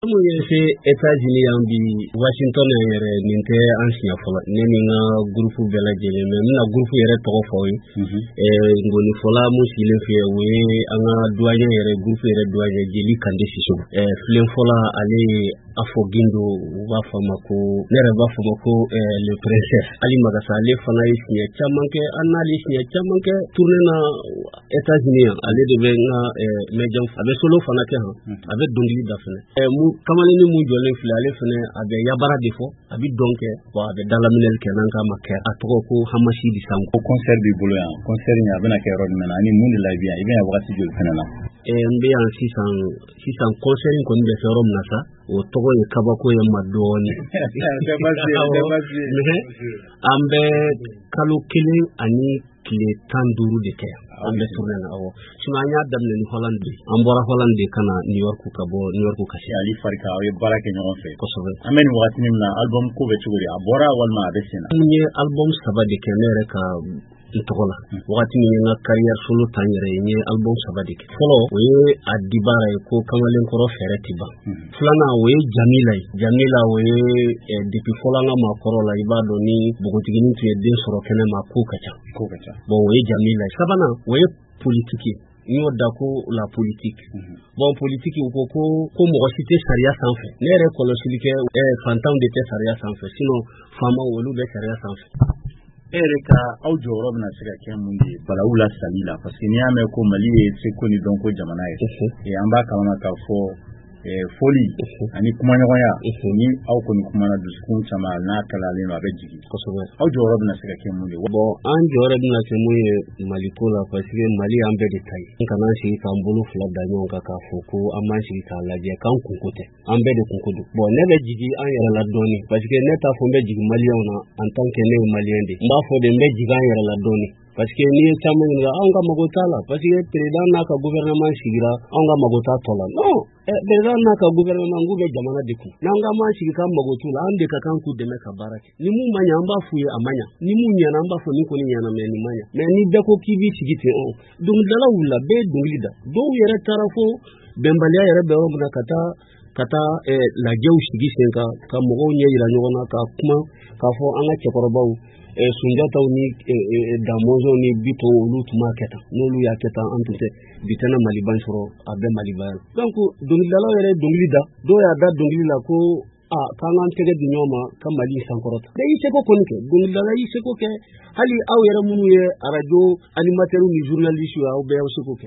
Mun ye se États-Unis yan bi, Washington yan yɛrɛ, nin tɛ an siɲɛ fɔlɔ, ne ni n ka groupe bɛɛ lajɛlen. Mais n bɛna groupe yɛrɛ tɔgɔ fɔ aw ye. Ngɔnifɔla mun sigilen filɛ, o ye an ka doyen yɛrɛ, groupe yɛrɛ doyen, Jeli Kande Sisoko. Filenfɔla, ale ye Afɔ Gindo, u b'a fɔ a ma ko, ne yɛrɛ b'a fɔ a ma ko le princesse Ali Magasa. Ale fana ye siɲɛ caman kɛ, an n'ale siɲɛ caman kɛ tournée na États-Unis yan. Ale de bɛ n ka médium, a bɛ solo fana kɛ han, a bɛ dɔnkili da fana. Kamalennin mun jɔlen filɛ, ale fana a bɛ yabara de fɔ, a bɛ dɔn kɛ, bon, a bɛ dalaminɛli kɛ, n'an k'a ma kɛ, a tɔgɔ ko Hamasi di Sango. Ko concert b'i bolo yan, concert in a bɛna kɛ yɔrɔ jumɛn na ani mun de la i bɛ yan, i bɛ yan wagati joli fana na? N bɛ yan sisan sisan. Concert in kɔni bɛ kɛ yɔrɔ min na sa, o tɔgɔ ye kabako ye ma dɔɔnin. An bɛ kalo 1 ani tile 15 de kɛ, an bɛ tournée na. Awɔ, sinon an y'a daminɛ ni Hollande de, an bɔra Hollande de ka na New York, ka bɔ New York ka se. Ali Farika, aw ye baara kɛ ɲɔgɔn fɛ. Kosɛbɛ. An bɛ nin wagati min na, album ko bɛ cogo di? A bɔra walima a bɛ sen na? N ye album 3 de kɛ ne yɛrɛ ka n tɔgɔ la. Wagati min ye n ka carrière solo ta n yɛrɛ ye, n ye album 3 de kɛ. Fɔlɔ, o ye a dibara ye ko kamalenkɔrɔ fɛɛrɛ ti ban. Filanan, o ye Jamila ye. Jamila, o ye depuis fɔlɔ an ka maakɔrɔ la, i b'a dɔn ni npogotiginin tun ye den sɔrɔ kɛnɛ ma, ko ka ca. Ko ka ca. Bon, o ye Jamila ye. Sabanan, o ye politique ye, n y'o da ko la politique. Bon, politique, u ko ko mɔgɔ si tɛ sariya sanfɛ. Ne yɛrɛ kɔlɔsili kɛ, fantanw de tɛ sariya sanfɛ, sinon faamaw, olu bɛ sariya sanfɛ. E yɛrɛ ka aw jɔyɔrɔ bɛna se ka kɛ mun de ye balawu la sali la? Parce que n'i y'a mɛn ko Mali ye seko ni dɔnko jamana ye, an b'a kalama k'a fɔ foli ani kumaɲɔgɔnya, ni aw kɔni kumana, dusukun caman n'a kalalen don, a bɛ jigin. Aw jɔyɔrɔ bɛna se ka kɛ mun de ye? Bon, an jɔyɔrɔ bɛna kɛ mun ye Maliko la? Parce que Mali an bɛɛ de ta ye. An kana sigi k'an bolo fila da ɲɔgɔn kan k'a fɔ ko an b'an sigi k'a lajɛ k'an kunko tɛ, an bɛɛ de kunko don. Bon, ne bɛ jigin an yɛrɛ la dɔɔni, parce que ne t'a fɔ n bɛ jigin maliyɛnw na en tant que ne ye maliyɛn de. N b'a fɔ de n bɛ jigin an yɛrɛ la dɔɔni, parce que n'i ye caman ɲininka, anw ka mago t'a la, parce que président n'a ka gouvernement sigira, anw ka mago t'a tɔ la. Non, président n'a ka gouvernement k'u bɛ jamana de kun. N'an ka m'an sigi k'an mago t'u la, an de ka kan k'u dɛmɛ ka baara kɛ. Ni mun ma ɲɛ, an b'a f'u ye a ma ɲɛ. Ni mun ɲɛna, an b'a fɔ nin kɔni ɲɛna, mais nin ma ɲɛ. Mais ni bɛɛ ko k'i b'i sigi ten, ɔ dɔnkilidalaw wulila, bɛɛ ye dɔnkili da. Dɔw yɛrɛ taara fo bɛnbaliya yɛrɛ bɛ yɔrɔ min na, ka taa lajɛw sigi sen kan, ka mɔgɔw ɲɛ yira ɲɔgɔn na, ka kuma k'a fɔ an ka cɛkɔrɔbaw, Sunjataw ni Damɔzɔn ni Bitɔn, olu tun b'a kɛ tan, n'olu y'a kɛ tan, an tun tɛ bi tɛna Maliba sɔrɔ, a bɛ Malibaya la. Donc dɔnkilidalaw yɛrɛ ye dɔnkili da, dɔw y'a da dɔnkili la ko a k'an k'an tɛgɛ di ɲɔgɔn ma ka Mali sankɔrɔta. Bɛɛ y'i seko kɔni kɛ, dɔnkilidala y'i seko kɛ, hali aw yɛrɛ minnu ye arajo animateurs ni journalistes ye, aw bɛɛ y'aw seko kɛ.